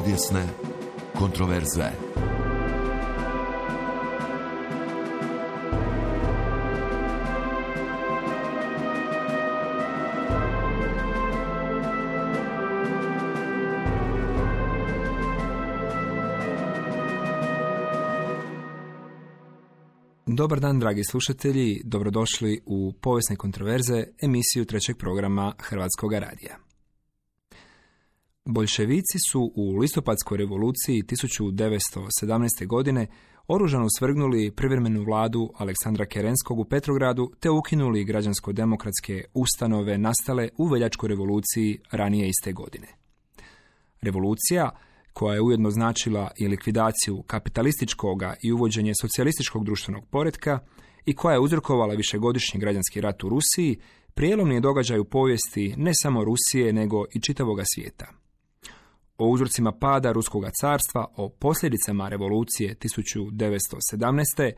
Povijesne kontroverze. Dobar dan, dragi slušatelji, dobrodošli u Povijesne kontroverze, emisiju trećeg programa Hrvatskog radija. Boljševici su u listopadskoj revoluciji 1917. godine oružano svrgnuli privremenu vladu Aleksandra Kerenskog u Petrogradu te ukinuli građansko-demokratske ustanove nastale u veljačkoj revoluciji ranije iste godine. Revolucija, koja je ujedno značila i likvidaciju kapitalističkoga i uvođenje socijalističkog društvenog poretka i koja je uzrokovala višegodišnji građanski rat u Rusiji, prijelomni je događaj u povijesti ne samo Rusije, nego i čitavoga svijeta. O uzrocima pada Ruskoga carstva, o posljedicama revolucije 1917.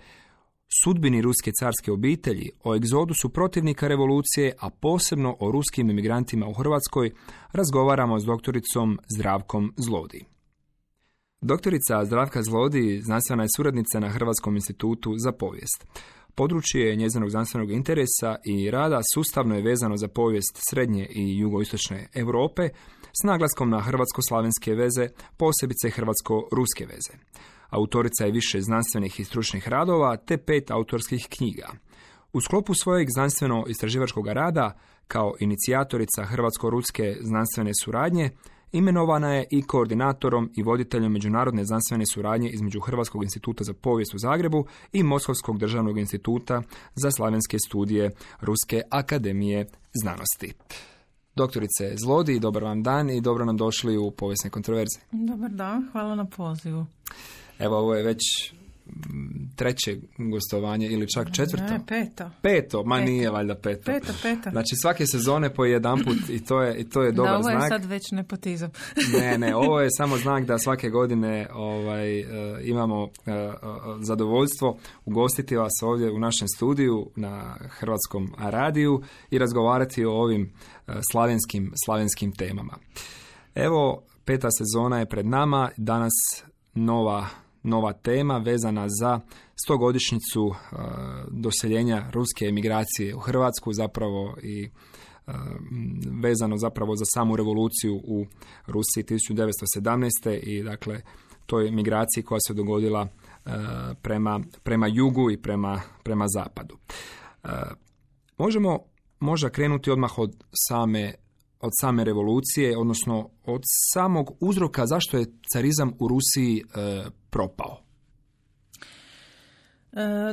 sudbini ruske carske obitelji, o egzodusu protivnika revolucije, a posebno o ruskim emigrantima u Hrvatskoj, razgovaramo s doktoricom Zdravkom Zlodij. Doktorica Zdravka Zlodij znanstvena je suradnica na Hrvatskom institutu za povijest. Područje njezinog znanstvenog interesa i rada sustavno je vezano za povijest srednje i jugoistočne Europe s naglaskom na hrvatsko-slavenske veze, posebice hrvatsko-ruske veze. Autorica je više znanstvenih i stručnih radova te 5 autorskih knjiga. U sklopu svojeg znanstveno-istraživačkog rada, kao inicijatorica hrvatsko-ruske znanstvene suradnje, imenovana je i koordinatorom i voditeljem međunarodne znanstvene suradnje između Hrvatskog instituta za povijest u Zagrebu i Moskovskog državnog instituta za slavenske studije Ruske akademije znanosti. Doktorice Zlodij, dobar vam dan i dobro nam došli u Povijesne kontroverze. Dobar dan, hvala na pozivu. Evo, ovo je već treće gostovanje ili čak četvrto? Ne, peto. Peto, nije valjda peto. Peto. Znači svake sezone po jedanput i to je dobar znak. Da, ovo je sad već nepotizam. Ne, ovo je samo znak da svake godine imamo zadovoljstvo ugostiti vas ovdje u našem studiju na Hrvatskom radiju i razgovarati o ovim slavenskim temama. Evo, 5. sezona je pred nama, danas nova tema vezana za 100-godišnjicu doseljenja ruske emigracije u Hrvatsku, zapravo i vezano zapravo za samu revoluciju u Rusiji 1917. i dakle toj migraciji koja se dogodila prema jugu i prema zapadu. Možemo možda krenuti odmah od same revolucije, odnosno od samog uzroka zašto je carizam u Rusiji propao.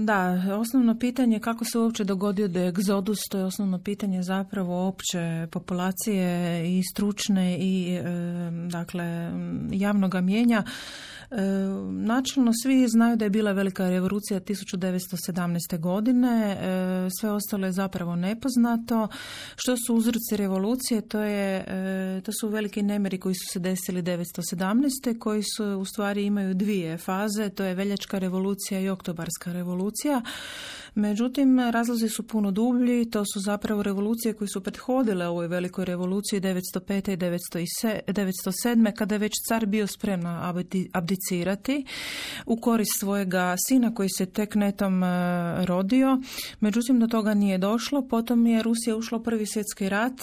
Da, osnovno pitanje kako se uopće dogodio da je egzodus, to je osnovno pitanje zapravo opće populacije i stručne i dakle javnoga mnijenja. Načelno svi znaju da je bila velika revolucija 1917. godine, sve ostalo je zapravo nepoznato. Što su uzroci revolucije? To su veliki nemiri koji su se desili 1917. koji su u stvari imaju dvije faze, to je veljačka revolucija i oktobarska revolucija. Međutim, razlozi su puno dublji, to su zapravo revolucije koje su prethodile ovoj velikoj revoluciji 1905. i 1907. kada je već car bio spreman abdicirati u korist svojega sina koji se tek netom rodio. Međutim, do toga nije došlo. Potom je Rusija ušla u Prvi svjetski rat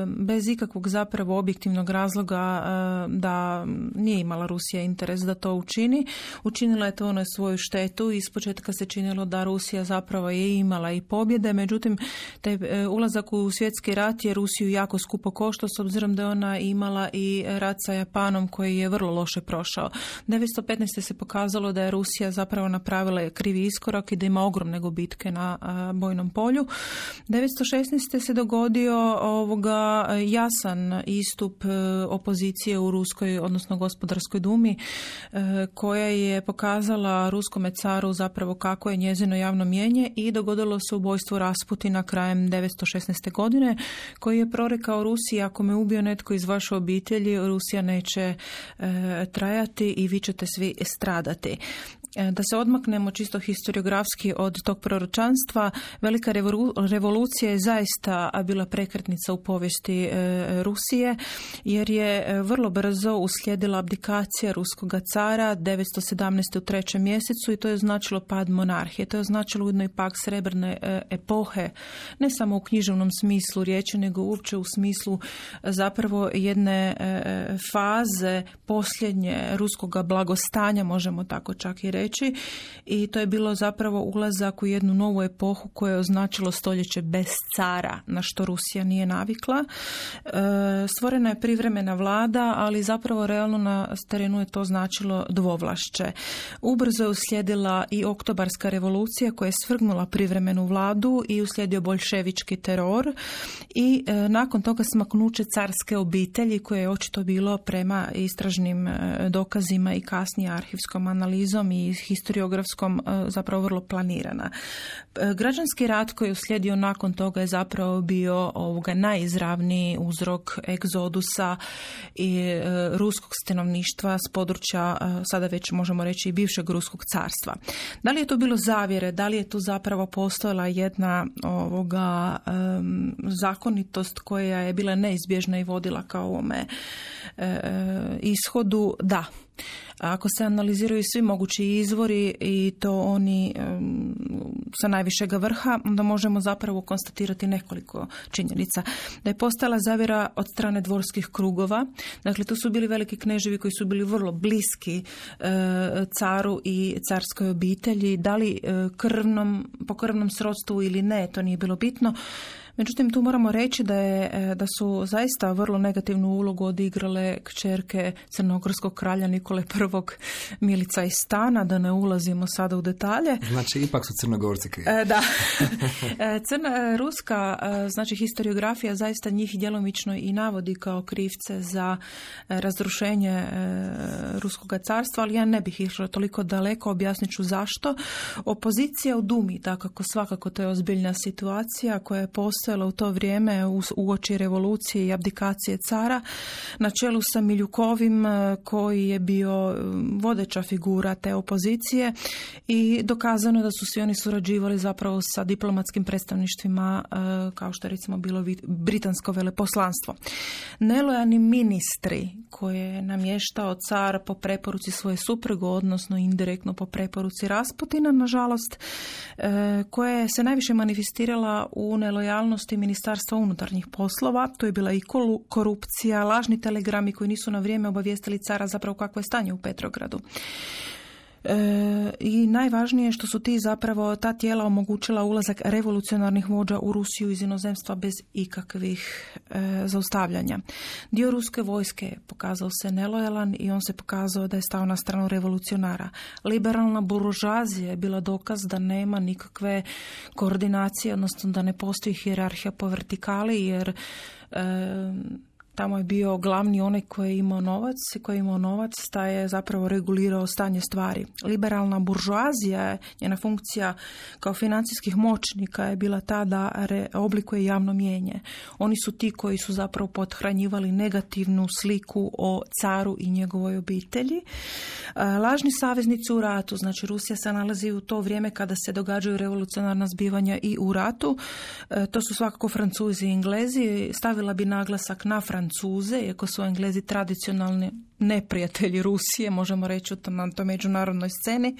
bez ikakvog zapravo objektivnog razloga da nije imala Rusija interes da to učini. Učinila je to na svoju štetu i ispočetka se činilo da Rusija zapravo je imala i pobjede, međutim taj ulazak u svjetski rat je Rusiju jako skupo koštao s obzirom da je ona imala i rat sa Japanom koji je vrlo loše prošao. 1915. se pokazalo da je Rusija zapravo napravila krivi iskorak i da ima ogromne gubitke na bojnom polju. 1916. se dogodio jasan istup opozicije u Ruskoj, odnosno Gospodarskoj dumi, koja je pokazala ruskome caru zapravo kako je njezino javno mnijenje i dogodilo se ubojstvo Rasputina krajem 1916. godine, koji je prorekao Rusiji: ako me ubio netko iz vaše obitelji, Rusija neće trajati i vi ćete svi stradati. Da se odmaknemo čisto historiografski od tog proročanstva, velika revolucija je zaista bila prekretnica u povijesti Rusije, jer je vrlo brzo uslijedila abdikacija ruskog cara 917. u 3. mjesecu i to je značilo pad monarhije. To je značilo ujedno i pak srebrne epohe, ne samo u književnom smislu riječi, nego uopće u smislu zapravo jedne faze posljednje ruskog blagostanja, možemo tako čak i reći. I to je bilo zapravo ulazak u jednu novu epohu koja je označilo stoljeće bez cara, na što Rusija nije navikla. Stvorena je privremena vlada, ali zapravo realno na terenu je to značilo dvovlašće. Ubrzo je uslijedila i oktobarska revolucija koja je svrgnula privremenu vladu i uslijedio boljševički teror i nakon toga smaknuće carske obitelji koje je očito bilo prema istražnim dokazima i kasnije arhivskom analizom i historiografskom zapravo vrlo planirana. Građanski rat koji je uslijedio nakon toga je zapravo bio najizravniji uzrok egzodusa i ruskog stanovništva s područja, sada već možemo reći i bivšeg ruskog carstva. Da li je to bilo zavjere, da li je tu zapravo postojala jedna zakonitost koja je bila neizbježna i vodila ka ovome ishodu? Da. Ako se analiziraju svi mogući izvori i to oni sa najvišeg vrha, onda možemo zapravo konstatirati nekoliko činjenica. Da je postojala zavjera od strane dvorskih krugova. Dakle, to su bili veliki kneževi koji su bili vrlo bliski caru i carskoj obitelji. Da li po krvnom srodstvu ili ne, to nije bilo bitno. Međutim, tu moramo reći da su zaista vrlo negativnu ulogu odigrale kćerke crnogorskog kralja Nikole I. Milica iz Stana, da ne ulazimo sada u detalje. Znači, ipak su Crnogorci krivi. Da. Ruska, znači historiografija zaista njih djelomično i navodi kao krivce za razrušenje Ruskog carstva, ali ja ne bih išla toliko daleko, objasnit ću zašto. Opozicija u Dumi, dakako svakako to je ozbiljna situacija koja je postojala u to vrijeme uoči revolucije i abdikacije cara, na čelu sa Miljukovim koji je bio vodeća figura te opozicije i dokazano je da su svi oni surađivali zapravo sa diplomatskim predstavništvima kao što je recimo bilo britansko veleposlanstvo. Nelojani ministri koje je namještao car po preporuci svoje supruge, odnosno indirektno po preporuci Rasputina, nažalost, koja se najviše manifestirala u nelojalnosti Ministarstva unutarnjih poslova. To je bila i korupcija, lažni telegrami koji nisu na vrijeme obavijestili cara zapravo kakvo je stanje u Petrogradu. I najvažnije što su ta tijela omogućila ulazak revolucionarnih vođa u Rusiju iz inozemstva bez ikakvih zaustavljanja. Dio ruske vojske pokazao se nelojalan i on se pokazao da je stao na stranu revolucionara. Liberalna buržoazija je bila dokaz da nema nikakve koordinacije, odnosno da ne postoji hijerarhija po vertikali, jer tamo je bio glavni onaj koji je imao novac, taj je zapravo regulirao stanje stvari. Liberalna buržoazija, njena funkcija kao financijskih moćnika je bila ta da oblikuje javno mnijenje. Oni su ti koji su zapravo pothranjivali negativnu sliku o caru i njegovoj obitelji. Lažni saveznici u ratu, znači Rusija se nalazi u to vrijeme kada se događaju revolucionarna zbivanja i u ratu. To su svakako Francuzi i Englezi. Stavila bi naglasak na Francuze, iako su Englezi tradicionalni neprijatelji Rusije, možemo reći na toj međunarodnoj sceni.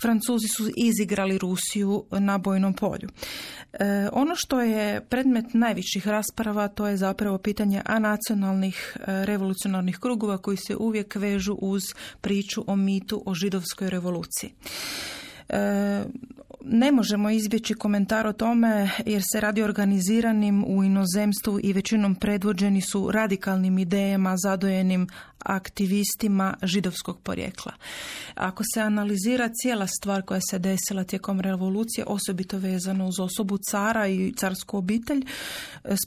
Francuzi su izigrali Rusiju na bojnom polju. Ono što je predmet najviših rasprava, to je zapravo pitanje anacionalnih revolucionarnih krugova koji se uvijek vežu uz priču o mitu o židovskoj revoluciji. Ne možemo izbjeći komentar o tome jer se radi organiziranim u inozemstvu i većinom predvođeni su radikalnim idejama zadojenim aktivistima židovskog porijekla. Ako se analizira cijela stvar koja se desila tijekom revolucije, osobito vezano uz osobu cara i carsku obitelj,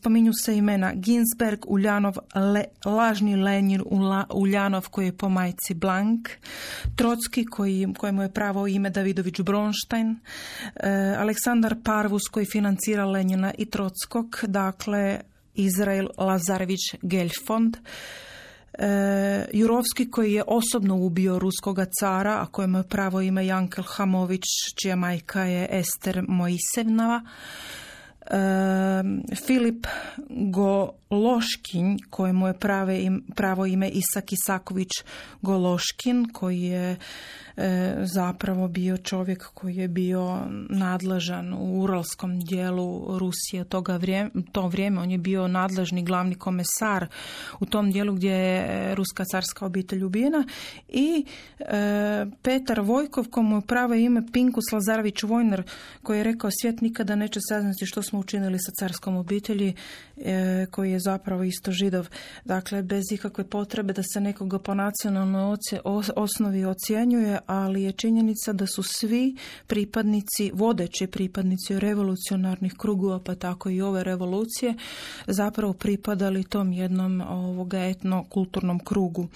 spominju se imena Ginsberg, Uljanov, lažni Lenin Uljanov koji je po majci Blank, Trotski kojemu je pravo ime Davidović Bronštajn, Aleksandar Parvus koji financira Lenina i Trotskog, dakle Izrael Lazarević Geljfond, Jurovski koji je osobno ubio ruskoga cara, a kojemu je pravo ime Jankel Hamović, čija majka je Ester Mojsevnova. Filip Gološkin, kojemu je pravo ime Isak Isaković Gološkin, koji je zapravo bio čovjek koji je bio nadležan u uralskom dijelu Rusije to vrijeme. On je bio nadležni glavni komesar u tom dijelu gdje je ruska carska obitelj ubijena. I Petar Vojkov, komu je pravo ime Pinkus Lazarević Vojner, koji je rekao svijet nikada neće saznati što smo učinili sa carskom obitelji, koji je zapravo isto Židov. Dakle, bez ikakve potrebe da se nekoga po nacionalnoj osnovi ocjenjuje, ali je činjenica da su svi pripadnici, vodeći pripadnici revolucionarnih krugova, pa tako i ove revolucije, zapravo pripadali tom jednom etnokulturnom krugu.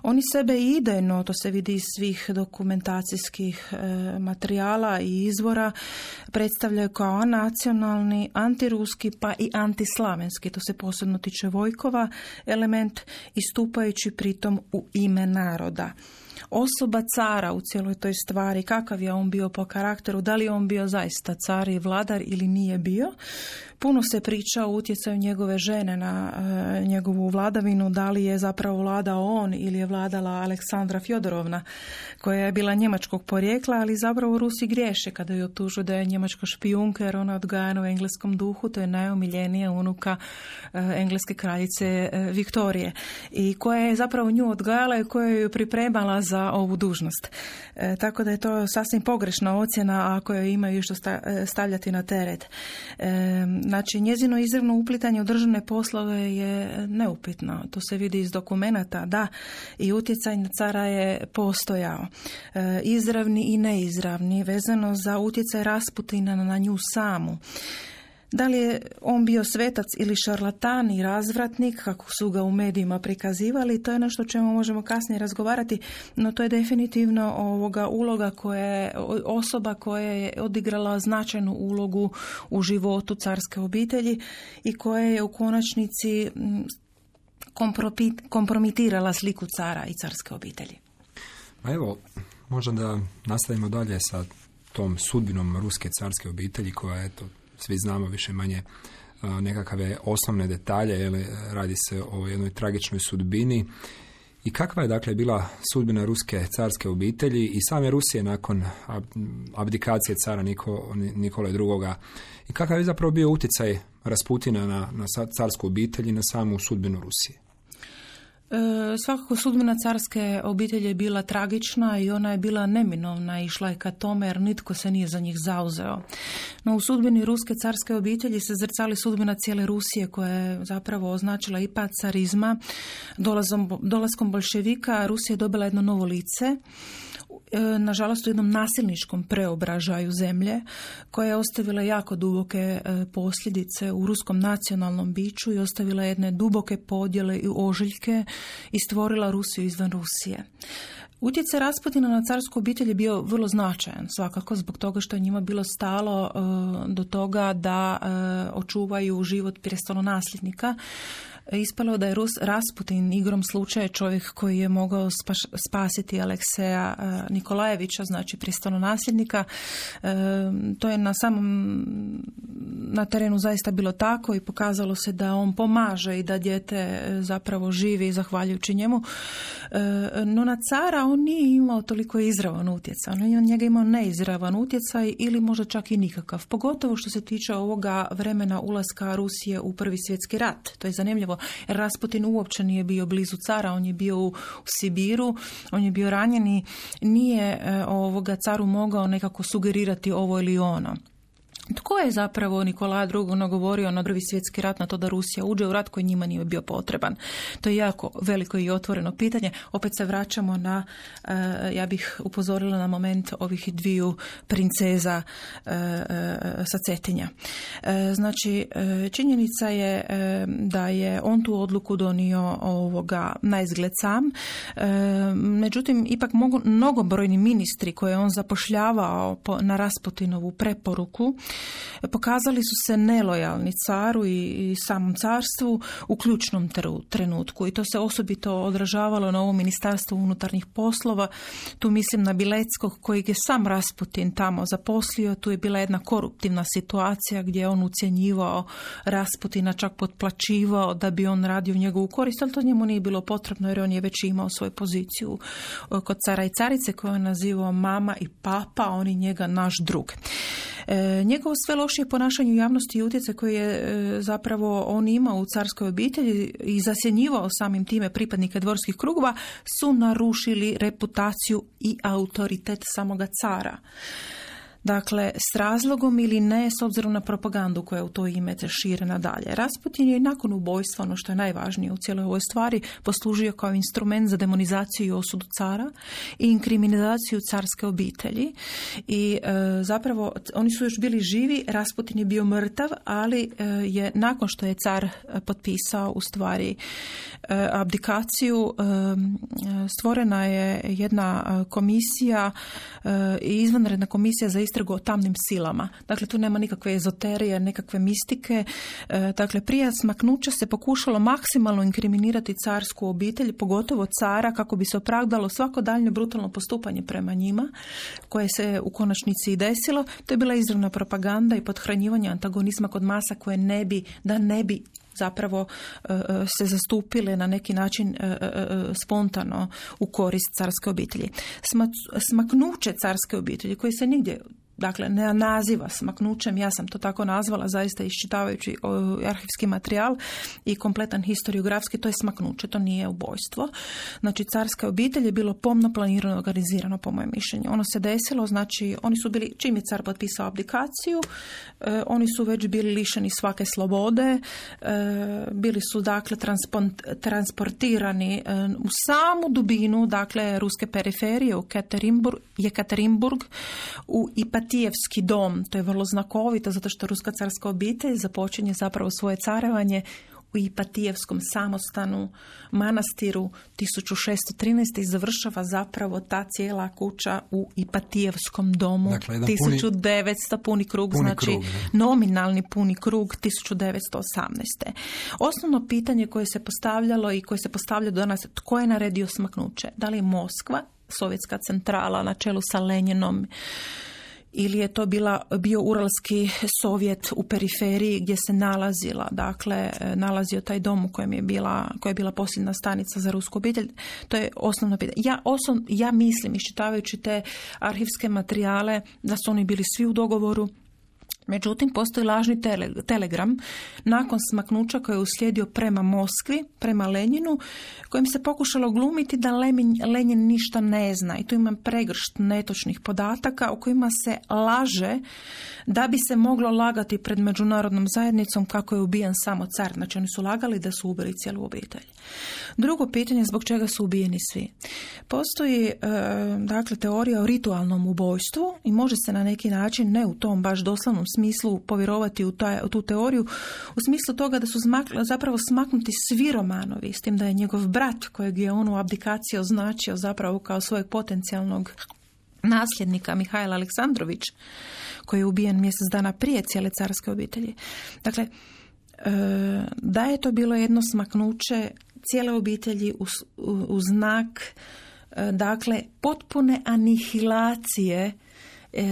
Oni sebe idejno, to se vidi iz svih dokumentacijskih materijala i izvora, predstavljaju kao anacionalni, antiruski pa i antislavenski, to se posebno tiče Vojkova, element, istupajući pritom u ime naroda. Osoba cara u cijeloj toj stvari, kakav je on bio po karakteru, da li je on bio zaista car i vladar ili nije bio. Puno se priča o utjecaju njegove žene na njegovu vladavinu, da li je zapravo vladao on ili je vladala Aleksandra Fjodorovna, koja je bila njemačkog porijekla, ali zapravo Rusi griješe kada ju optužuju da je njemačka špijunka, jer ona je odgajana u engleskom duhu, to je najomiljenija unuka engleske kraljice Viktorije, i koja je zapravo nju odgajala i koja ju pripremala za ovu dužnost. Tako da je to sasvim pogrešna ocjena ako joj imaju što stavljati na teret. Znači, njezino izravno uplitanje u državne poslove je neupitno. To se vidi iz dokumenata, da, i utjecaj na cara je postojao. Izravni i neizravni, vezano za utjecaj Rasputina na nju samu. Da li je on bio svetac ili šarlatan i razvratnik, kako su ga u medijima prikazivali, to je nešto o čemu možemo kasnije razgovarati, no to je definitivno uloga osoba koja je odigrala značajnu ulogu u životu carske obitelji i koja je u konačnici kompromitirala sliku cara i carske obitelji. A evo, možda da nastavimo dalje sa tom sudbinom ruske carske obitelji koja, eto, svi znamo više manje nekakve osnovne detalje, jer radi se o jednoj tragičnoj sudbini. I kakva je dakle bila sudbina ruske carske obitelji i same Rusije nakon abdikacije cara Nikole II. I kakav je zapravo bio utjecaj Rasputina na carsku obitelj i na samu sudbinu Rusije? Svakako sudbina carske obitelji je bila tragična i ona je bila neminovna, išla je ka tome jer nitko se nije za njih zauzeo. No u sudbini ruske carske obitelji se zrcali sudbina cijele Rusije koja je zapravo označila i pad carizma. Dolaskom boljševika Rusija je dobila jedno novo lice, nažalost u jednom nasilničkom preobražaju zemlje koja je ostavila jako duboke posljedice u ruskom nacionalnom biću i ostavila jedne duboke podjele i ožiljke i stvorila Rusiju izvan Rusije. Utjecaj Rasputina na carsku obitelj je bio vrlo značajan, svakako zbog toga što je njima bilo stalo do toga da očuvaju život prestolonasljednika. Ispalo je da je Rasputin igrom slučaja čovjek koji je mogao spasiti Alekseja Nikolajevića, znači prestolonasljednika. To je na terenu zaista bilo tako i pokazalo se da on pomaže i da dijete zapravo živi zahvaljujući njemu. No na cara on nije imao toliko izravan utjecaj. On je njega imao neizravan utjecaj ili možda čak i nikakav. Pogotovo što se tiče ovoga vremena ulaska Rusije u Prvi svjetski rat. To je zanimljivo. Jer Rasputin uopće nije bio blizu cara, on je bio u Sibiru, on je bio ranjen i nije caru mogao nekako sugerirati ovo ili ono. Tko je zapravo Nikolaj II. Nagovorio na Prvi svjetski rat, na to da Rusija uđe u rat koji njima nije bio potreban? To je jako veliko i otvoreno pitanje. Opet se vraćamo na, ja bih upozorila na moment ovih dviju princeza sa Cetinja. Znači, činjenica je da je on tu odluku donio na izgled sam. Međutim, ipak mnogobrojni ministri koje on zapošljavao na Rasputinovu preporuku Pokazali su se nelojalni caru i samom carstvu u ključnom trenutku i to se osobito odražavalo na ovo Ministarstvo unutarnjih poslova. Tu mislim na Bileckog kojeg je sam Rasputin tamo zaposlio. Tu je bila jedna koruptivna situacija gdje on ucjenjivao Rasputina, čak potplaćivao da bi on radio njegovu korist, ali to njemu nije bilo potrebno jer on je već imao svoju poziciju kod cara i carice koju on nazivao mama i papa, oni njega naš drug. Njegovo sve lošije ponašanje u javnosti i utjecaj koji je zapravo on imao u carskoj obitelji i zasjenjivao samim time pripadnike dvorskih krugova su narušili reputaciju i autoritet samoga cara. Dakle, s razlogom ili ne, s obzirom na propagandu koja u to ime šire nadalje. Rasputin je i nakon ubojstva, ono što je najvažnije u cijeloj ovoj stvari, poslužio kao instrument za demonizaciju i osudu cara i inkriminaciju carske obitelji. I zapravo, oni su još bili živi, Rasputin je bio mrtav, ali je nakon što je car potpisao u stvari abdikaciju, stvorena je jedna komisija, izvanredna komisija za istragu o tamnim silama. Dakle, tu nema nikakve ezoterije, nekakve mistike. Dakle, prije smaknuća se pokušalo maksimalno inkriminirati carsku obitelj, pogotovo cara, kako bi se opravdalo svako daljnje brutalno postupanje prema njima, koje se u konačnici i desilo. To je bila izravna propaganda i pothranjivanje antagonizma kod masa koje ne bi zapravo se zastupile na neki način spontano u korist carske obitelji. Smaknuće carske obitelji koje se nigdje ne naziva smaknućem, ja sam to tako nazvala zaista iščitavajući arhivski materijal i kompletan historiografski, to je smaknuće, to nije ubojstvo. Znači, carska obitelj je bilo pomno planirano, organizirano po mojem mišljenju. Ono se desilo, znači, oni su bili, čim je car potpisao abdikaciju, oni su već bili lišeni svake slobode, bili su dakle transportirani u samu dubinu, dakle, ruske periferije u Jekaterinburg, u Ipatijevski dom. To je vrlo znakovito zato što ruska carska obitelj započinje zapravo svoje carevanje u Ipatijevskom samostanu, manastiru 1613. i završava zapravo ta cijela kuća u Ipatijevskom domu. Dakle, 1900 puni krug, nominalni puni krug 1918. Osnovno pitanje koje se postavljalo i koje se postavlja do nas, tko je naredio smaknuće? Da li je Moskva, sovjetska centrala na čelu sa Lenjinom, ili je to bio Uralski sovjet u periferiji gdje se nalazio taj dom u kojem koja je bila posljedna stanica za rusku obitelj. To je osnovno pitanje. Ja mislim, iščitavajući te arhivske materijale, da su oni bili svi u dogovoru. Međutim, postoji lažni telegram nakon smaknuća koji je uslijedio prema Moskvi, prema Lenjinu, kojim se pokušalo glumiti da Lenjin ništa ne zna. I tu imam pregršt netočnih podataka o kojima se laže da bi se moglo lagati pred međunarodnom zajednicom kako je ubijen samo car. Znači, oni su lagali da su ubili cijelu obitelj. Drugo pitanje, zbog čega su ubijeni svi? Postoji teorija o ritualnom ubojstvu i može se na neki način, ne u tom baš doslovnom smislu, povjerovati u tu teoriju, u smislu toga da su zapravo smaknuti svi Romanovi, s tim da je njegov brat, kojeg je on u abdikaciji označio zapravo kao svojeg potencijalnog nasljednika, Mihajl Aleksandrović, koji je ubijen mjesec dana prije cijele carske obitelji. Dakle, da je to bilo jedno smaknuće cijele obitelji u znak potpune anihilacije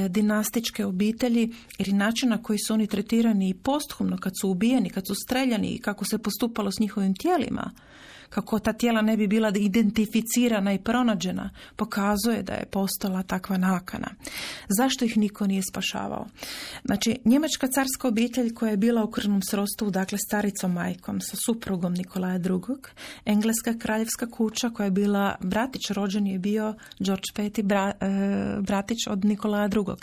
dinastičke obitelji, jer i način na koji su oni tretirani i posthumno kad su ubijeni, kad su streljani i kako se postupalo s njihovim tijelima, kako ta tijela ne bi bila identificirana i pronađena, pokazuje da je postala takva nakana. Zašto ih niko nije spašavao? Znači, njemačka carska obitelj koja je bila u krvnom srodstvu, dakle staricom majkom sa suprugom Nikolaja II, engleska kraljevska kuća koja je bila bratić, rođen je bio George V, bratić od Nikolaja II.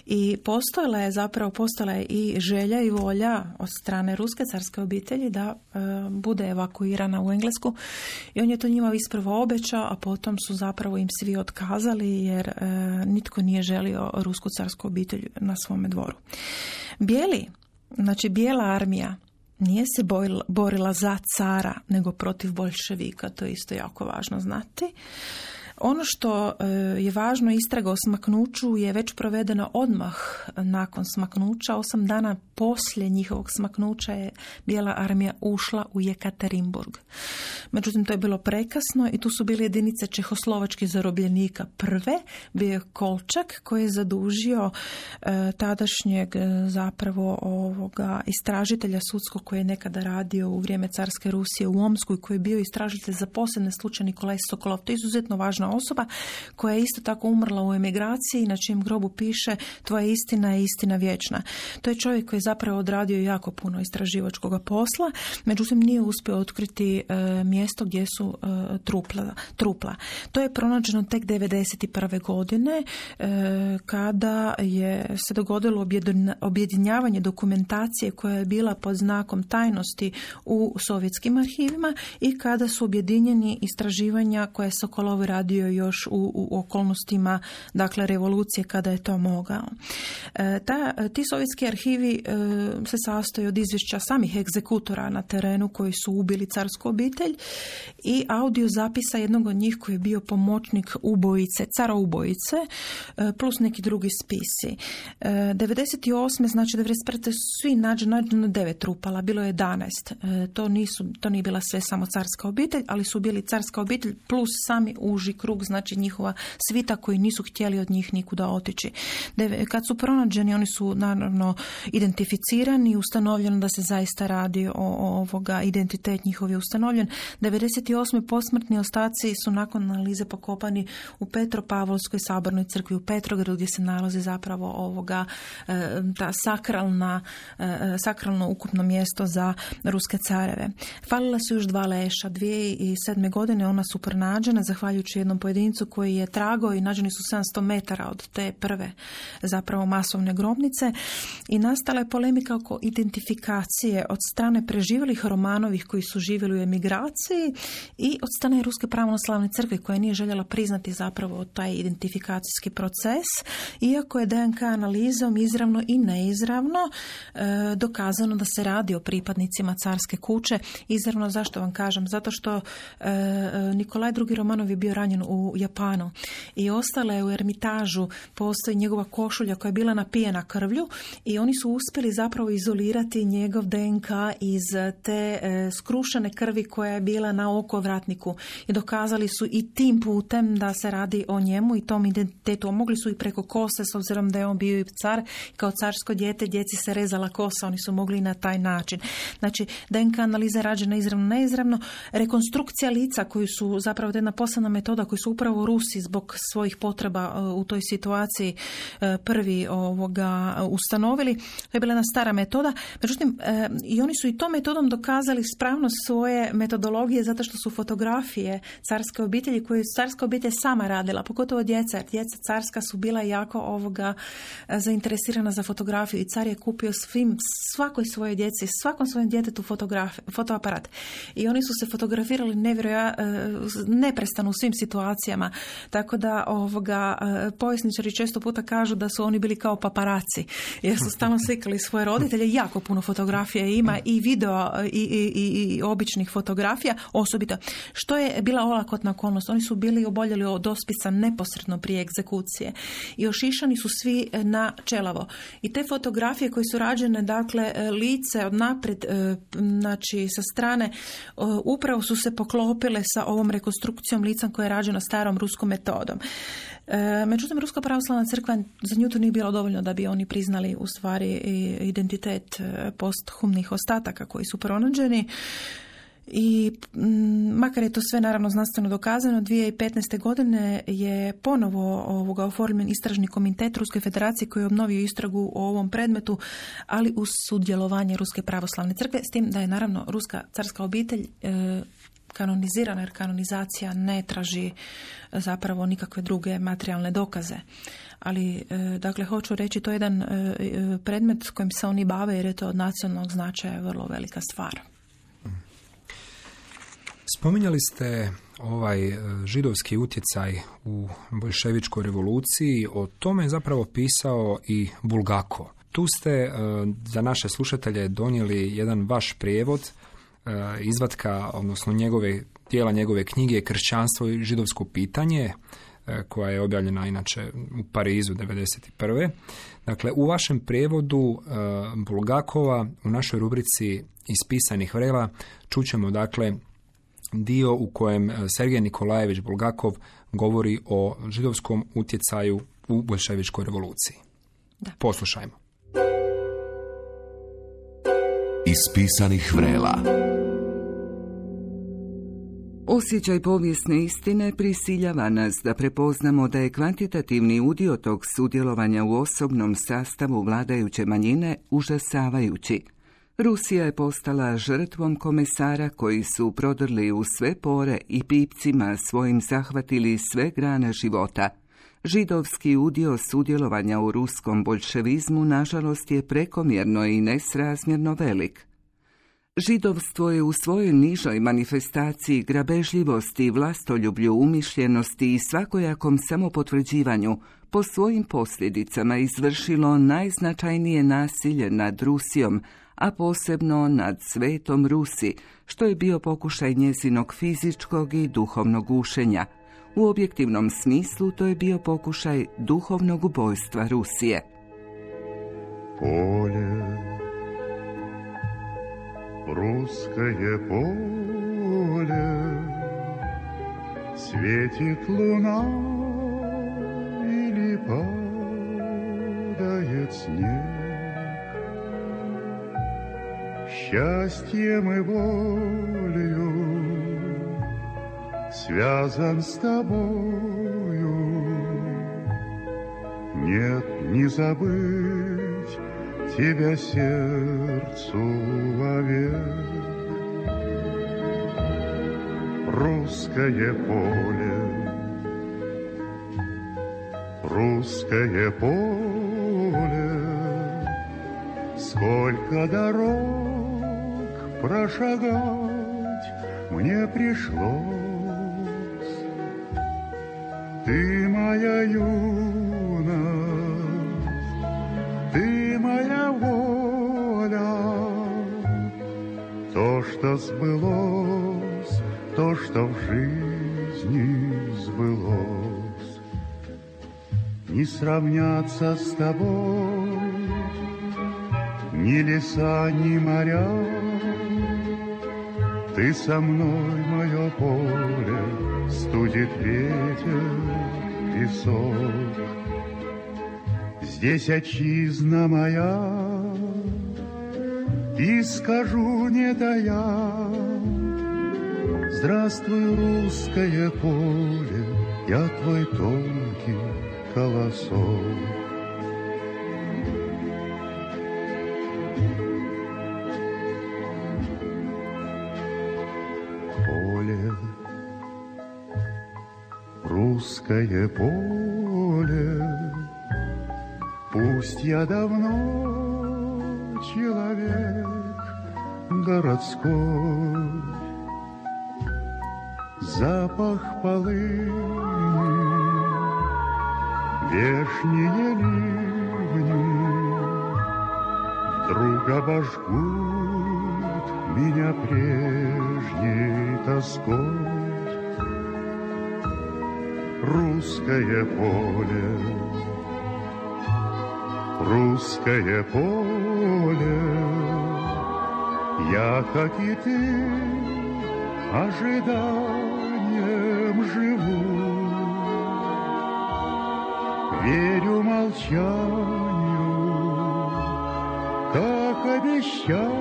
I postojala je i želja i volja od strane ruske carske obitelji da bude evakuirana u Englesku. I on je to njima isprvo obećao, a potom su zapravo im svi otkazali jer nitko nije želio rusku carsku obitelj na svome dvoru. Bijela armija nije se borila za cara, nego protiv boljševika, to je isto jako važno znati. Ono što je važno, istraga o smaknuću je već provedena odmah nakon smaknuća. 8 dana poslije njihovog smaknuća je Bijela armija ušla u Jekaterinburg. Međutim, to je bilo prekasno i tu su bile jedinice čehoslovačkih zarobljenika prve. Bio je Kolčak koji je zadužio tadašnjeg zapravo istražitelja sudskog koji je nekada radio u vrijeme carske Rusije u Omsku i koji je bio istražitelj za posebne slučaje Nikolaj Sokolov. To je izuzetno važna osoba koja je isto tako umrla u emigraciji, na čijem grobu piše tvoja istina je istina vječna. To je čovjek koji je zapravo odradio jako puno istraživačkog posla, međutim nije uspio otkriti mjesto gdje su trupla. To je pronađeno tek 1991. godine kada je se dogodilo objedinjavanje dokumentacije koja je bila pod znakom tajnosti u sovjetskim arhivima i kada su objedinjeni istraživanja koje je Sokolov radio još u okolnostima, dakle, revolucije kada je to mogao. Ti sovjetski arhivi se sastoje od izvješća samih egzekutora na terenu koji su ubili carsku obitelj i audio zapisa jednog od njih koji je bio pomoćnik ubojice, cara ubojice, plus neki drugi spisi. 98. znači 95. svi nađeno 9 trupala, bilo je 11. To nije bila sve samo carska obitelj, ali su bili carska obitelj plus sami uži krug, znači njihova svita koji nisu htjeli od njih nikuda otići. Kad su pronađeni, oni su naravno identificirani i ustanovljeno da se zaista radi o identitet njihov je ustanovljen. 98. posmrtni ostaci su nakon analize pokopani u Petropavlovskoj sabornoj crkvi u Petrogradu gdje se nalazi zapravo ta sakralno ukupno mjesto za ruske careve. Falila su još 2 leša. 2007. godine ona su pronađena zahvaljujući jednom pojedincu koji je tragao i nađeni su 700 metara od te prve zapravo masovne grobnice i nastala je polemika oko identifikacije od strane preživjelih Romanovih koji su živjeli u emigraciji i od strane Ruske pravoslavne crkve koja nije željela priznati zapravo taj identifikacijski proces, iako je DNK analizom izravno i neizravno dokazano da se radi o pripadnicima carske kuće. Izravno, zašto vam kažem? Zato što Nikolaj II. Romanov je bio ranjen u Japanu i ostala je u Ermitažu, postoji njegova košulja koja je bila napijena krvlju i oni su uspjeli zapravo izolirati njegov DNK iz te skrušene krvi koja je bila na okovratniku i dokazali su i tim putem da se radi o njemu i tom identitetu. Mogli su i preko kose, s obzirom da je on bio i car, kao carsko dijete, djeci se rezala kosa, oni su mogli na taj način. Znači, DNK analiza je rađena izravno, neizravno. Rekonstrukcija lica koju su zapravo jedna posebna metoda koju su upravo Rusi zbog svojih potreba u toj situaciji prvi ustanovili. To je bila jedna stara metoda. Međutim, i oni su i tom metodom dokazali spravnost svoje metodologije zato što su fotografije carske obitelji koje je carska obitelj sama radila, pogotovo djeca. Djeca carska su bila jako zainteresirana za fotografiju i car je kupio svakoj svoje djeci, svakom svojem djetetu fotoaparat. I oni su se fotografirali neprestano u svim situacijama. Tako da povjesničari često puta kažu da su oni bili kao paparaci, jer su stalno slikali svoje roditelje. Jako puno fotografija ima i video i običnih fotografija, osobito. Što je bila olakotna okolnost? Oni su bili oboljeli od ospisa neposredno prije egzekucije i ošišani su svi na čelavo. I te fotografije koje su rađene, dakle, lice od naprijed, znači sa strane, upravo su se poklopile sa ovom rekonstrukcijom lica koja je rađena starom ruskom metodom. Međutim, Ruska pravoslavna crkva za nju to nije bilo dovoljno da bi oni priznali u stvari identitet posthumnih ostataka koji su pronađeni. I makar je to sve naravno znanstveno dokazano, 2015. godine je ponovo oformljen istražni komitet Ruske federacije koji je obnovio istragu o ovom predmetu, ali uz sudjelovanje Ruske pravoslavne crkve, s tim da je naravno ruska carska obitelj kanonizirana, jer kanonizacija ne traži zapravo nikakve druge materijalne dokaze. Ali, dakle, hoću reći, to je jedan predmet s kojim se oni bave jer je to od nacionalnog značaja vrlo velika stvar. Spominjali ste ovaj židovski utjecaj u boljševičkoj revoluciji, o tome je zapravo pisao i Bulgakov. Tu ste za naše slušatelje donijeli jedan vaš prijevod, izvatka, odnosno njegove dijela njegove knjige Kršćanstvo i židovsko pitanje, koja je objavljena inače u Parizu 1991. Dakle, u vašem prijevodu Bulgakova u našoj rubrici Iz pisanih vrela čućemo dakle dio u kojem Sergej Nikolajević Bulgakov govori o židovskom utjecaju u boljševičkoj revoluciji. Da. Poslušajmo. Iz pisanih vrela. Osjećaj povijesne istine prisiljava nas da prepoznamo da je kvantitativni udio tog sudjelovanja u osobnom sastavu vladajuće manjine užasavajući. Rusija je postala žrtvom komesara koji su prodrli u sve pore i pipcima svojim zahvatili sve grane života. Židovski udio sudjelovanja u ruskom boljševizmu nažalost je prekomjerno i nesrazmjerno velik. Židovstvo je u svojoj nižoj manifestaciji grabežljivosti, vlastoljublju, umišljenosti i svakojakom samopotvrđivanju po svojim posljedicama izvršilo najznačajnije nasilje nad Rusijom, a posebno nad Svetom Rusi, što je bio pokušaj njezinog fizičkog i duhovnog gušenja. U objektivnom smislu to je bio pokušaj duhovnog ubojstva Rusije. Polje, ruskoje polje, svijetit luna ili падает снег. Счастьем и волею связан с тобою. Нет, не забыть тебя сердцу вовек. Русское поле, русское поле, сколько дорог прошагать мне пришлось. Ты моя юность, ты моя воля, то, что сбылось, то, что в жизни сбылось. Не сравняться с тобой ни леса, ни моря. Ты со мной, мое поле, студит ветер, песок. Здесь отчизна моя, и скажу, не тая: здравствуй, русское поле, я твой тонкий колосок. Русское поле, пусть я давно человек городской, запах полыни, вешние ливни вдруг обожгут меня прежней тоской. Русское поле, русское поле, я, как и ты, ожиданием живу. Верю молчанию, как обещанию,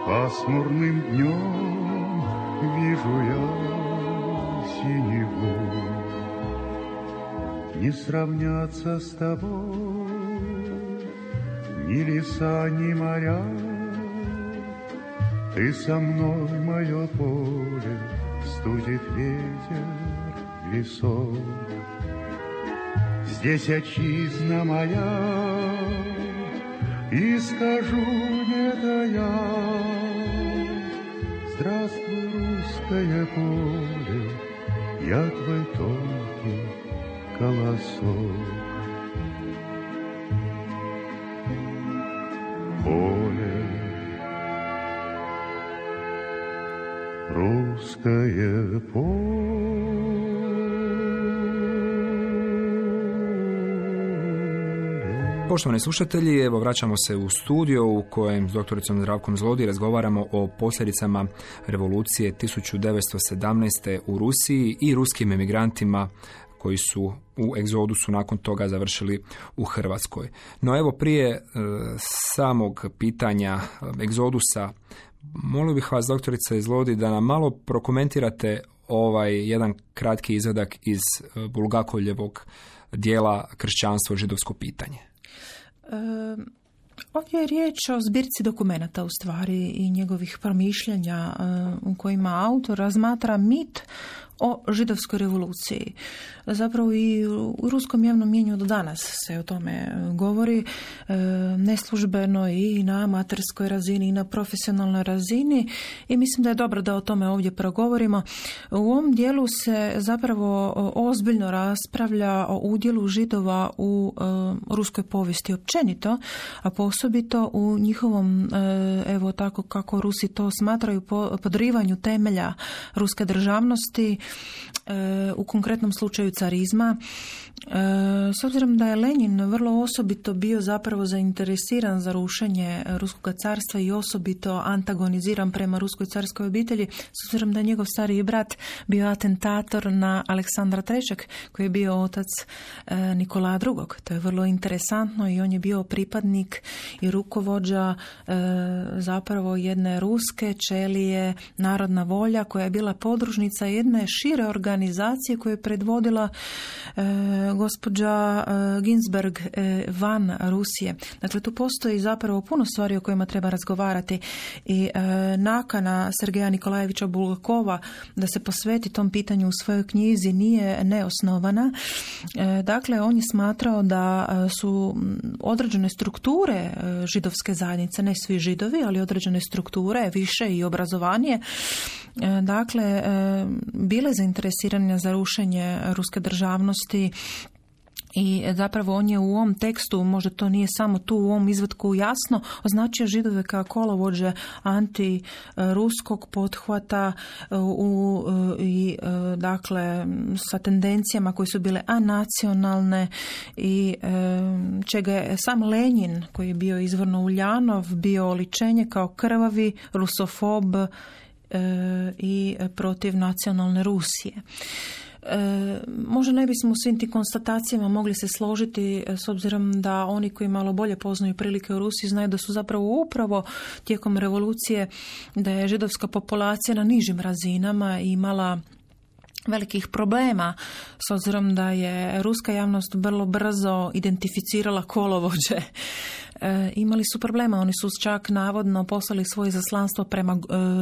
пасмурным днем вижу я синеву. Не сравняться с тобой ни леса, ни моря. Ты со мной, мое поле, студит ветер, песок. Здесь отчизна моя, и скажу, не тая: здравствуй, русское поле, я твой тонкий колосок. Поле, je polje. Poštovani slušatelji, evo vraćamo se u studio u kojem s doktoricom Zdravkom Zlodi razgovaramo o posljedicama revolucije 1917. u Rusiji i ruskim emigrantima koji su u egzodusu nakon toga završili u Hrvatskoj. No evo prije samog pitanja egzodusa, molio bih vas, doktorica Zlodi, da nam malo prokomentirate ovaj jedan kratki izvadak iz Bulgakovljevog dijela Kršćanstvo, židovsko pitanje. Ovdje je riječ o zbirci dokumenata u stvari i njegovih promišljanja u kojima autor razmatra mit o židovskoj revoluciji. Zapravo i u ruskom javnom mnijenju do danas se o tome govori, neslužbeno i na amaterskoj razini i na profesionalnoj razini, i mislim da je dobro da o tome ovdje progovorimo. U ovom dijelu se zapravo ozbiljno raspravlja o udjelu Židova u ruskoj povijesti općenito, a osobito u njihovom, evo tako kako Rusi to smatraju, podrivanju temelja ruske državnosti, u konkretnom slučaju carizma. S obzirom da je Lenin vrlo osobito bio zapravo zainteresiran za rušenje ruskog carstva i osobito antagoniziran prema ruskoj carskoj obitelji, s obzirom da je njegov stariji brat bio atentator na Aleksandra III. Koji je bio otac Nikola II. To je vrlo interesantno i on je bio pripadnik i rukovođa zapravo jedne ruske ćelije Narodna volja koja je bila podružnica jedne šire organizacije koju je predvodila gospođa Ginsberg van Rusije. Dakle, tu postoji zapravo puno stvari o kojima treba razgovarati i nakana Sergeja Nikolajevića Bulgakova da se posveti tom pitanju u svojoj knjizi nije neosnovana. Dakle, on je smatrao da su određene strukture židovske zajednice, ne svi Židovi, ali određene strukture, više i obrazovanije, dakle, bile zainteresirane za rušenje ruske državnosti. I zapravo on je u ovom tekstu, možda to nije samo tu u ovom izvatku jasno, označio Židove kao kolovođe antiruskog pothvata i dakle sa tendencijama koje su bile anacionalne i čega je sam Lenin, koji je bio izvorno Uljanov, bio oličenje kao krvavi rusofob i protiv nacionalne Rusije. Možda ne bismo u svim tim konstatacijama mogli se složiti, s obzirom da oni koji malo bolje poznaju prilike u Rusiji znaju da su zapravo upravo tijekom revolucije, da je židovska populacija na nižim razinama imala velikih problema, s obzirom da je ruska javnost vrlo brzo identificirala kolovođe. Imali su problema, oni su čak navodno poslali svoje izaslanstvo prema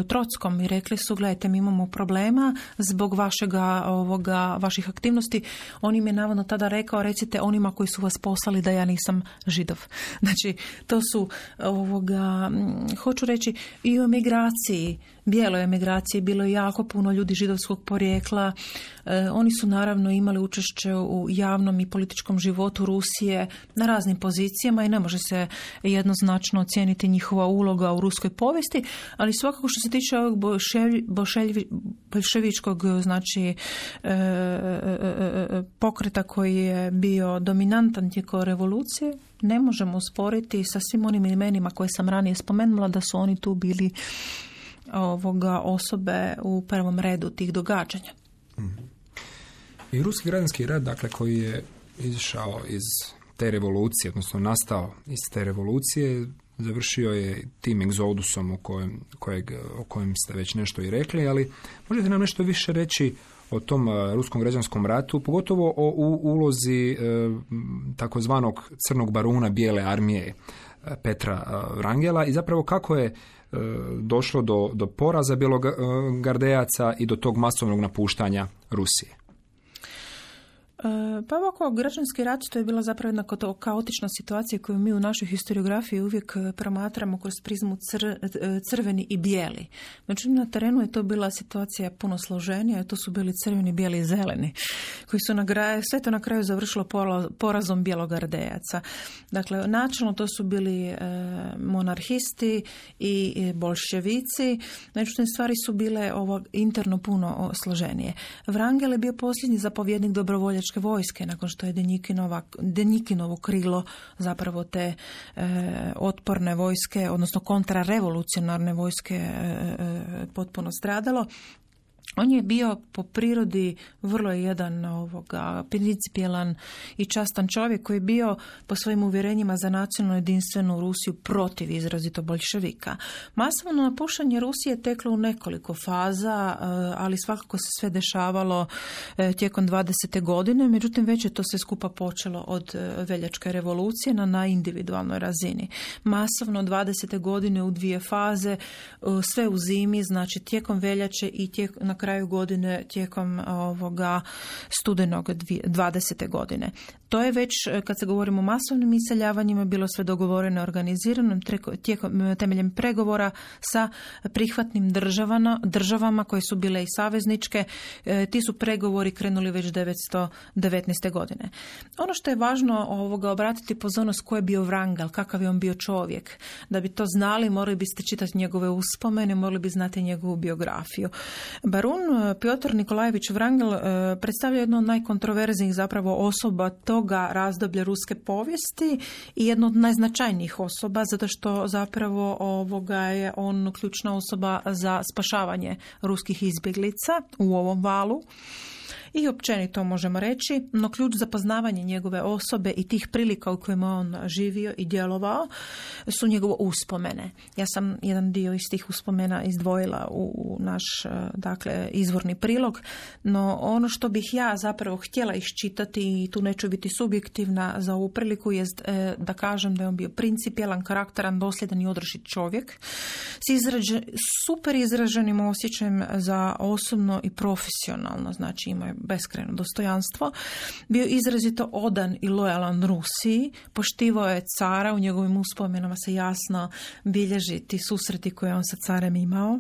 Trockom i rekli su, gledajte, mi imamo problema zbog vaših aktivnosti. On im je navodno tada rekao, recite onima koji su vas poslali da ja nisam Židov. Znači, to su hoću reći, i u emigraciji, bijeloj emigraciji, bilo je jako puno ljudi židovskog porijekla. Oni su naravno imali učešće u javnom i političkom životu Rusije na raznim pozicijama i ne može se jednoznačno ocijeniti njihova uloga u ruskoj povijesti, ali svakako što se tiče ovog bolševičkog, znači pokreta koji je bio dominantan tijekom revolucije, ne možemo usporiti sa svim onim imenima koje sam ranije spomenula da su oni tu bili osobe u prvom redu tih događanja. I ruski građanski rat, dakle, koji je izašao iz te revolucije, odnosno nastao iz te revolucije, završio je tim egzodusom o kojem ste već nešto i rekli, ali možete nam nešto više reći o tom ruskom građanskom ratu, pogotovo o ulozi takozvanog crnog baruna bijele armije Petra Wrangela i zapravo kako je došlo do poraza bjelogardejaca i do tog masovnog napuštanja Rusije. Pa ovako, građanski rat to je bila zapravo jedna kaotična situacija koju mi u našoj historiografiji uvijek promatramo kroz prizmu crveni i bijeli. Međutim, na terenu je to bila situacija puno složenija, to su bili crveni, bijeli i zeleni, koji su sve to na kraju završilo porazom bjelogardejaca. Dakle, načelno to su bili monarhisti i bolševici, međutim, stvari su bile interno puno složenije. Wrangel je bio posljednji zapovjednik dobrovoljačke vojske, nakon što je Denjikinovo krilo zapravo te otporne vojske, odnosno kontrarevolucionarne vojske potpuno stradalo. On je bio po prirodi vrlo jedan principijelan i častan čovjek koji je bio po svojim uvjerenjima za nacionalno jedinstvenu Rusiju protiv izrazito boljševika. Masovno napuštanje Rusije je teklo u nekoliko faza, ali svakako se sve dešavalo tijekom 20. godine, međutim već je to sve skupa počelo od veljačke revolucije na individualnoj razini. Masovno 20. godine u dvije faze, sve u zimi, znači tijekom veljače i na kraju godine tijekom studenog 20. godine. To je već, kad se govorimo o masovnim iseljavanjima, bilo sve dogovoreno, organizirano temeljem pregovora sa prihvatnim državama koje su bile i savezničke. Ti su pregovori krenuli već 1919. godine. Ono što je važno obratiti pozornost ko je bio Wrangel, kakav je on bio čovjek. Da bi to znali, morali biste čitati njegove uspomene, morali bi znati njegovu biografiju. Barun Piotr Nikolajević Wrangel predstavlja jednu od najkontroverznijih zapravo osoba toga razdoblja ruske povijesti i jednu od najznačajnijih osoba, zato što zapravo je on ključna osoba za spašavanje ruskih izbjeglica u ovom valu. I općenito možemo reći, no ključ za poznavanje njegove osobe i tih prilika u kojima on živio i djelovao su njegove uspomene. Ja sam jedan dio iz tih uspomena izdvojila u naš izvorni prilog, no ono što bih ja zapravo htjela iščitati, i tu neću biti subjektivna za ovu priliku, jest da kažem da je on bio principijelan, karakteran, dosljedan i odrešit čovjek s super izraženim osjećajem za osobno i profesionalno, znači ima beskrajno dostojanstvo, bio izrazito odan i lojalan Rusiji, poštivao je cara, u njegovim uspomenama se jasno bilježi ti susreti koje on sa carem imao.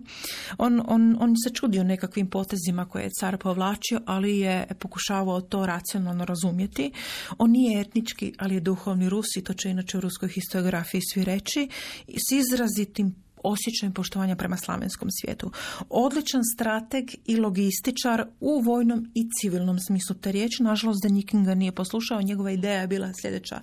On se čudio nekakvim potezima koje je car povlačio, ali je pokušavao to racionalno razumjeti. On nije etnički, ali je duhovni Rus i to će inače u ruskoj historiografiji svi reći, s izrazitim osjećajem poštovanja prema slavenskom svijetu. Odličan strateg i logističar u vojnom i civilnom smislu te riječi. Nažalost, Denjikin ga nije poslušao. Njegova ideja je bila sljedeća: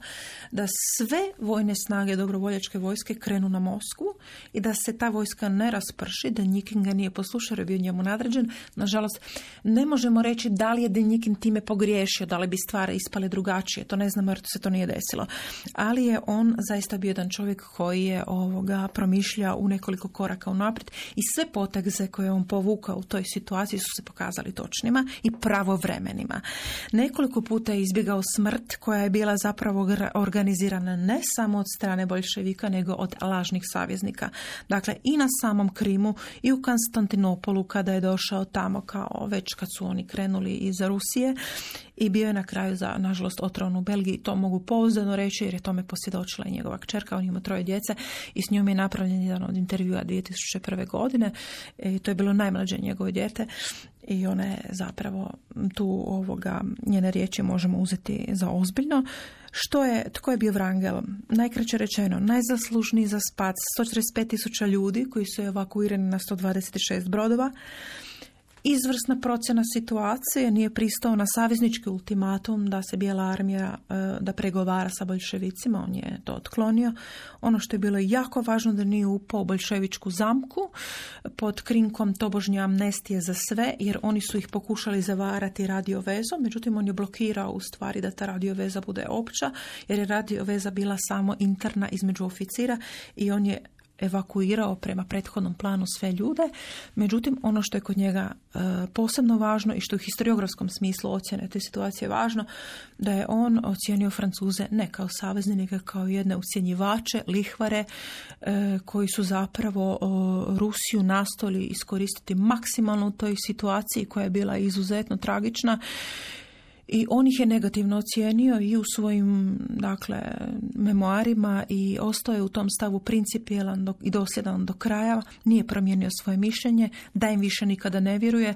da sve vojne snage dobrovoljačke vojske krenu na Moskvu i da se ta vojska ne rasprši. Denjikin ga nije poslušao, je bio njemu nadređen. Nažalost, ne možemo reći da li je Denjikin time pogriješio, da li bi stvari ispale drugačije. To ne znamo jer se to nije desilo. Ali je on zaista bio jedan čovjek koji je promišljao u nekoliko koraka unaprijed i sve poteze koje on povukao u toj situaciji su se pokazali točnima i pravovremenima. Nekoliko puta je izbjegao smrt koja je bila zapravo organizirana ne samo od strane boljševika nego od lažnih saveznika. Dakle, i na samom Krimu i u Konstantinopolu kada je došao tamo kao već kad su oni krenuli iz Rusije i bio je na kraju nažalost otrovan u Belgiji. To mogu pouzdano reći jer je tome posvjedočila i njegova kćerka, on ima 3 djece i s njom je napravljen jedan od intervjua 2001. godine. I to je bilo najmlađe njegovo dijete i ona je zapravo tu njene riječi možemo uzeti za ozbiljno. Tko je bio Wrangel? Najkraće rečeno, najzaslužniji za spas 145.000 ljudi koji su evakuirani na 126 brodova. Izvrsna procjena situacije, nije pristao na saveznički ultimatum da se Bijela armija da pregovara sa boljševicima, on je to otklonio. Ono što je bilo jako važno da nije upao u boljševičku zamku pod krinkom tobožnje amnestije za sve, jer oni su ih pokušali zavarati radiovezom, međutim on je blokirao u stvari da ta radioveza bude opća, jer je radioveza bila samo interna između oficira i on je evakuirao prema prethodnom planu sve ljude. Međutim, ono što je kod njega posebno važno i što u historiografskom smislu ocjene te situacije važno, da je on ocijenio Francuze ne kao saveznike, nego kao jedne ucjenjivače, lihvare, koji su zapravo Rusiju nastojali iskoristiti maksimalno u toj situaciji koja je bila izuzetno tragična. I on ih je negativno ocijenio i u svojim, dakle, memoarima i ostao je u tom stavu principijelan i dosljedan do kraja, nije promijenio svoje mišljenje, da im više nikada ne vjeruje,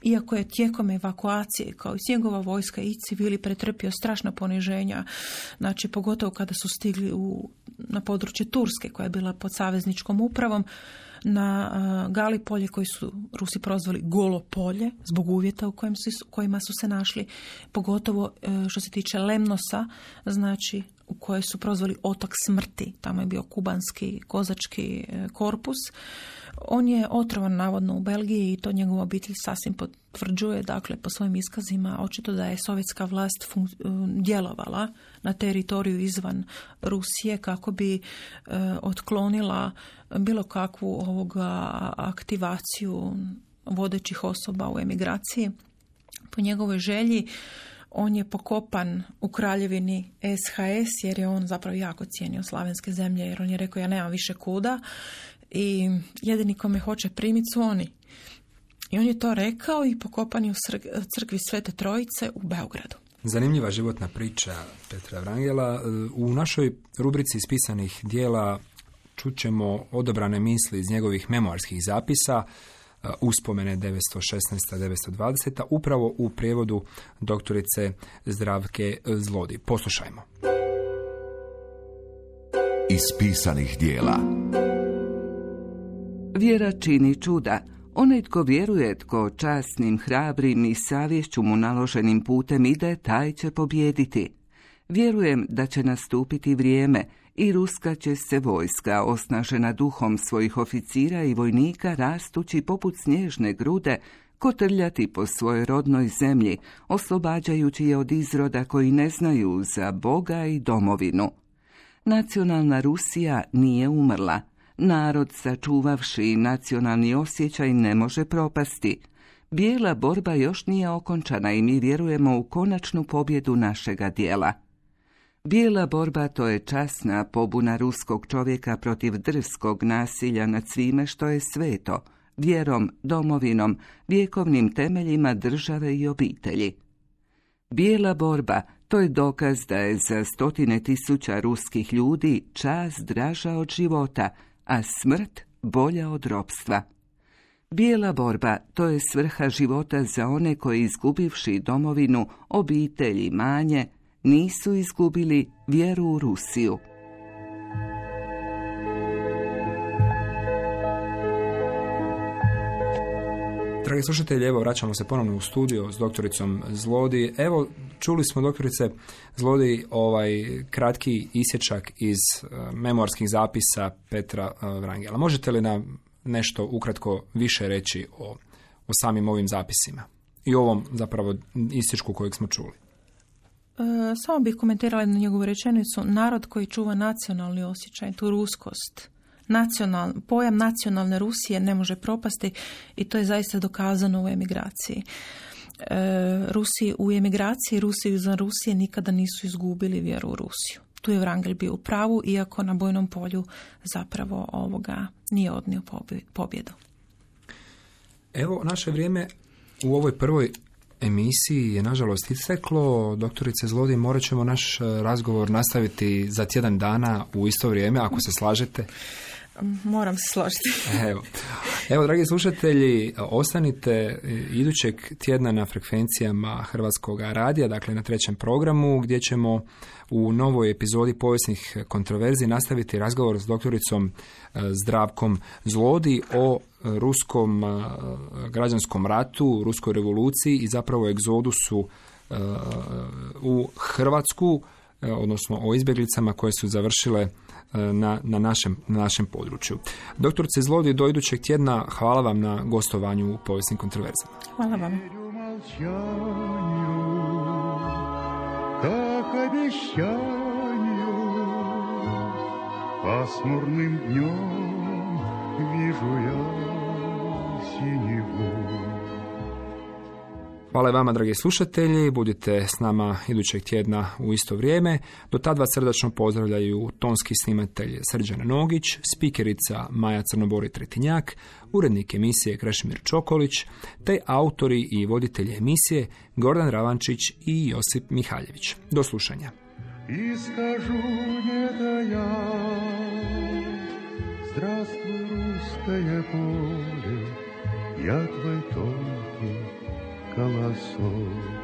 iako je tijekom evakuacije, kao i njegova vojska i civili, pretrpio strašna poniženja, znači pogotovo kada su stigli na područje Turske, koja je bila pod savezničkom upravom, na Galipolje, koji su Rusi prozvali Golo polje, zbog uvjeta u kojima su se našli, pogotovo što se tiče Lemnosa, znači u kojoj su prozvali otok smrti, tamo je bio kubanski kozački korpus. On je otrovan navodno u Belgiji i to njegova obitelj sasvim potvrđuje, dakle po svojim iskazima, očito da je sovjetska vlast djelovala na teritoriju izvan Rusije kako bi otklonila bilo kakvu aktivaciju vodećih osoba u emigraciji. Po njegovoj želji on je pokopan u kraljevini SHS jer je on zapravo jako cijenio slavenske zemlje, jer on je rekao ja nemam više kuda i jedini ko me hoće primiti su oni. I on je to rekao i pokopan je u crkvi Svete Trojice u Beogradu. Zanimljiva životna priča Petra Wrangela. U našoj rubrici ispisanih dijela čućemo odabrane misli iz njegovih memoarskih zapisa, uspomene 916-920, upravo u prijevodu doktorice Zdravke Zlodi. Poslušajmo. Ispisanih dijela. Vjera čini čuda. Onaj tko vjeruje, tko časnim, hrabrim i savješću mu naloženim putem ide, taj će pobijediti. Vjerujem da će nastupiti vrijeme i ruska će se vojska, osnažena duhom svojih oficira i vojnika, rastući poput snježne grude, kotrljati po svojoj rodnoj zemlji, oslobađajući je od izroda koji ne znaju za Boga i domovinu. Nacionalna Rusija nije umrla. Narod, sačuvavši nacionalni osjećaj, ne može propasti. Bijela borba još nije okončana i mi vjerujemo u konačnu pobjedu našega dijela. Bijela borba, to je časna pobuna ruskog čovjeka protiv drskog nasilja nad svime što je sveto, vjerom, domovinom, vjekovnim temeljima države i obitelji. Bijela borba, to je dokaz da je za 100.000 ruskih ljudi čast draža od života, a smrt bolja od ropstva. Bijela borba, to je svrha života za one koji, izgubivši domovinu, obitelj i imanje, nisu izgubili vjeru u Rusiju. Dragi slušatelji, evo vraćamo se ponovno u studio s doktoricom Zlodi. Evo, čuli smo, doktorice Zlodi, kratki isječak iz memoarskih zapisa Petra Wrangela. Možete li nam nešto ukratko više reći o samim ovim zapisima i ovom zapravo isječku kojeg smo čuli? Samo bih komentirala na njegovu rečenicu. Narod koji čuva nacionalni osjećaj, tu ruskost, pojam nacionalne Rusije ne može propasti i to je zaista dokazano u emigraciji. Rusi u emigraciji, Rusi izvan Rusije nikada nisu izgubili vjeru u Rusiju. Tu je Wrangel bio u pravu, iako na bojnom polju zapravo nije odnio pobjedu. Evo, naše vrijeme u ovoj prvoj emisiji je nažalost isteklo. Doktorice Zlodi, morat ćemo naš razgovor nastaviti za tjedan dana u isto vrijeme, ako se slažete. Moram se složiti. Evo, dragi slušatelji, ostanite idućeg tjedna na frekvencijama Hrvatskog radija, dakle na 3. programu, gdje ćemo u novoj epizodi povijesnih kontroverzi nastaviti razgovor s doktoricom Zdravkom Zlodi o ruskom građanskom ratu, ruskoj revoluciji i zapravo egzodusu u Hrvatsku, odnosno o izbjeglicama koje su završile na našem području. Doktorice Zlodi, do idućeg tjedna, hvala vam na gostovanju u povijesnim kontroverzama. Hvala vam. Пасмурным днем вижу я синеву. Hvala i vama, dragi slušatelji. Budite s nama idućeg tjedna u isto vrijeme. Do tad vas srdačno pozdravljaju tonski snimatelj Srđan Nogić, spikerica Maja Crnobori-Tretinjak, urednik emisije Krešimir Čokolić, te autori i voditelji emisije Gordan Ravančić i Josip Mihaljević. Do slušanja. И скажу это я, здравствуй, русское поле, я твой тонкий колосок.